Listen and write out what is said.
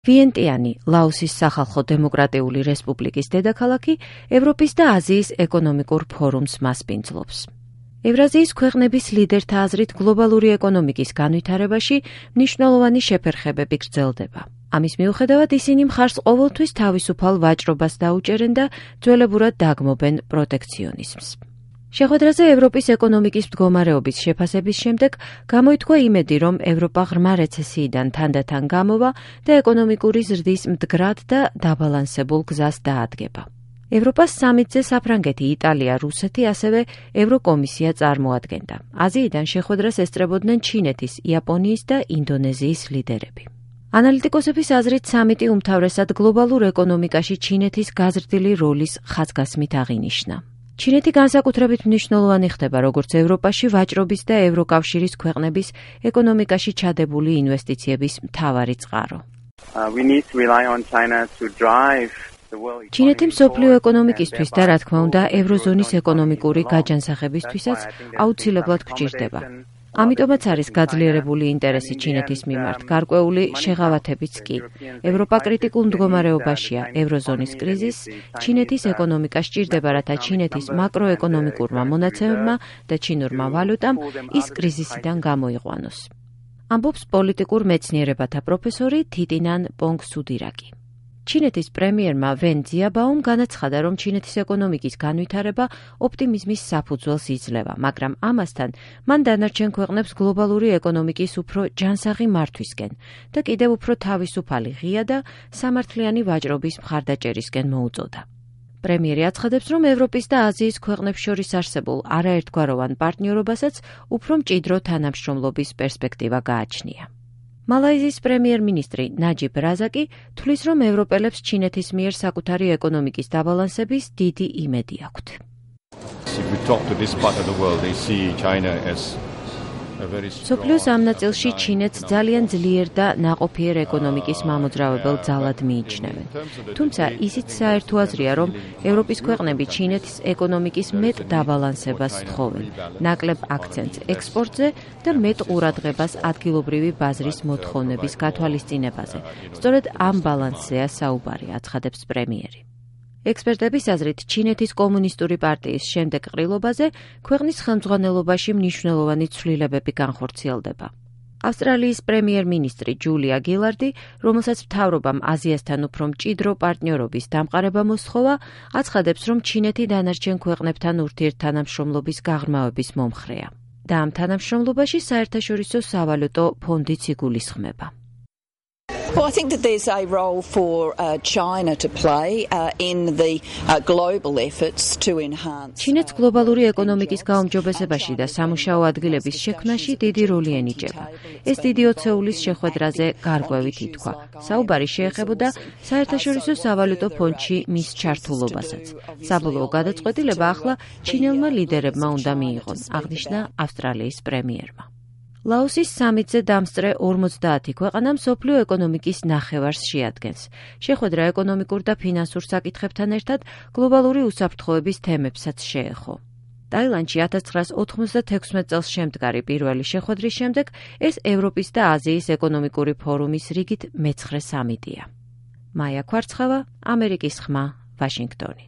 ვიენტიანი, ლაოსის სახალხო დემოკრატიული რესპუბლიკის დედაქალაქი, ევროპის და აზიის ეკონომიკურ ფორუმს მასპინძლობს. ევრაზიის ქვეყნების ლიდერთა აზრით გლობალური ეკონომიკის განვითარებაში მნიშვნელოვანი შეფერხებები გრძელდება. ამის მიუხედავად ისინი მხარს ყოველთვის თავისუფალ ვაჭრობას დაუჭერენ და ძველებურად დაგმობენ პროტექციონიზმს. შეხვედრაზე ევროპის ეკონომიკის მდგომარეობის შეფასების შემდეგ გამოითქვა იმედი, რომ ევროპა ღრმა რეცესიიდან თანდათან გამოვა და ეკონომიკური ზრდის მდგრად და დაბალანსებულ გზას დაადგება. ევროპას სამიტზე საფრანგეთი, იტალია, რუსეთი, ასევე ევროკომისია წარმოადგენდა. აზიიდან შეხვედრას ესწრებოდნენ ჩინეთის, იაპონიის და ინდონეზიის ლიდერები. ანალიტიკოსების აზრით სამიტი უმთავრესად გლობალურ ეკონომიკაში ჩინეთის გაზრდილი როლის ხაზგასმით აღინიშნა. ჩინეთი განსაკუთრებით მნიშვნელოვანი ხდება როგორც ევროპაში ვაჭრობის და ევროკავშირის ქვეყნების ეკონომიკაში ჩადებული ინვესტიციების მთავარი წყარო. ჩინეთი მსოფლიო ეკონომიკისთვის და რა თქმა უნდა ევროზონის ეკონომიკური გაჯანსაღებისთვისაც აუცილებლად გვჭირდება. ამიტომაც არის გაძლიერებული ინტერესი ჩინეთის მიმართ, გარკვეული შეღავათებიც კი. ევროპა კრიტიკულ მდგომარეობაშია, ევროზონის კრიზისს ჩინეთის ეკონომიკა სჭირდება, რათა ჩინეთის მაკროეკონომიკურმა მონაცემებმა და ჩინურმა ვალუტამ ის კრიზისიდან გამოიყვანოს. ამბობს პოლიტიკურ მეცნიერებათა პროფესორი თიტინან პონგსუდირაკი. ჩინეთის პრემიერმა ვენ ძიაბაუმ განაცხადა, რომ ჩინეთის ეკონომიკის განვითარება ოპტიმიზმის საფუძველს იძლევა, მაგრამ ამასთან მან დანარჩენ ქვეყნებს გლობალური ეკონომიკის უფრო ჯანსაღი მართვისკენ და კიდევ უფრო თავისუფალი ღია და სამართლიანი ვაჭრობის მხარდაჭერისკენ მოუწოდა. პრემიერი აცხადებს, რომ ევროპის და აზიის ქვეყნებს შორის არსებულ არაერთგვაროვან პარტნიორობასაც უფრო მჭიდრო თანამშრომლობის პერსპექტივა გააჩნია. მალაიზიის პრემიერ-მინისტრი ნაჯიბ რაზაკი თვლის, რომ ევროპელებს ჩინეთის მიერ საკუთარი ეკონომიკის დაბალანსების დიდი იმედი აქვთ. მსოფლიოს ამ ნაწილში ჩინეთს ძალიან ძლიერ და ნაყოფიერ ეკონომიკის მამოძრავებელ ძალად მიიჩნევენ. თუმცა ისიც საერთო აზრია, რომ ევროპის ქვეყნები ჩინეთის ეკონომიკის მეტ დაბალანსებას თხოვენ, ნაკლებ აქცენტს ექსპორტზე და მეტ ყურადღებას ადგილობრივი ბაზრის მოთხოვნების გათვალისწინებაზე. სწორედ ამ ბალანსზეა საუბარი, აცხადებს პრემიერი. ექსპერტების აზრით, ჩინეთის კომუნისტური პარტიის შემდეგ ყრილობაზე ქვეყნის ხელმძღვანელობაში მნიშვნელოვანი ცვლილებები განხორციელდება. ავსტრალიის პრემიერ-მინისტრი ჯულია გილარდი, რომელსაც მთავრობამ აზიასთან უფრო მჭიდრო პარტნიორობის დამყარება მოსთხოვა, აცხადებს, რომ ჩინეთი დანარჩენ ქვეყნებთან ურთიერთთანამშრომლობის გაღრმავების მომხრეა. და ამ თანამშრომლობაში საერთაშორისო სავალუტო ფონდიც იგულისხმება. Well, I think that there's a role for China to play in the global efforts to enhance. ჩინეთს გლობალური ეკონომიკის გაუმჯობესებაში და სამუშაო ადგილების შექმნაში დიდი როლი ენიჭება. ეს დიდი ოცეულის შეხვედრაზე გარკვევით ითქვა. საუბარი შეეხებოდა საერთაშორისო სავალუტო ფონდში მის ჩართულობასაც. საბოლოო გადაწყვეტილება ახლა ჩინელმა ლიდერებმა უნდა მიიღონ, აღნიშნა ავსტრალიის პრემიერმა. ლაოსის სამიტზე დამსწრე 50 ქვეყანა მსოფლიო ეკონომიკის ნახევარს შეადგენს. შეხვედრა ეკონომიკურ და ფინანსურ საკითხებთან ერთად გლობალური უსაფრთხოების თემებსაც შეეხო. ტაილანდში 1996 წელს შემდგარი პირველი შეხვედრის შემდეგ ეს ევროპის და აზიის ეკონომიკური ფორუმის რიგით მეცხრე სამიტია. მაია ქვარცხავა, ამერიკის ხმა, ვაშინგტონი.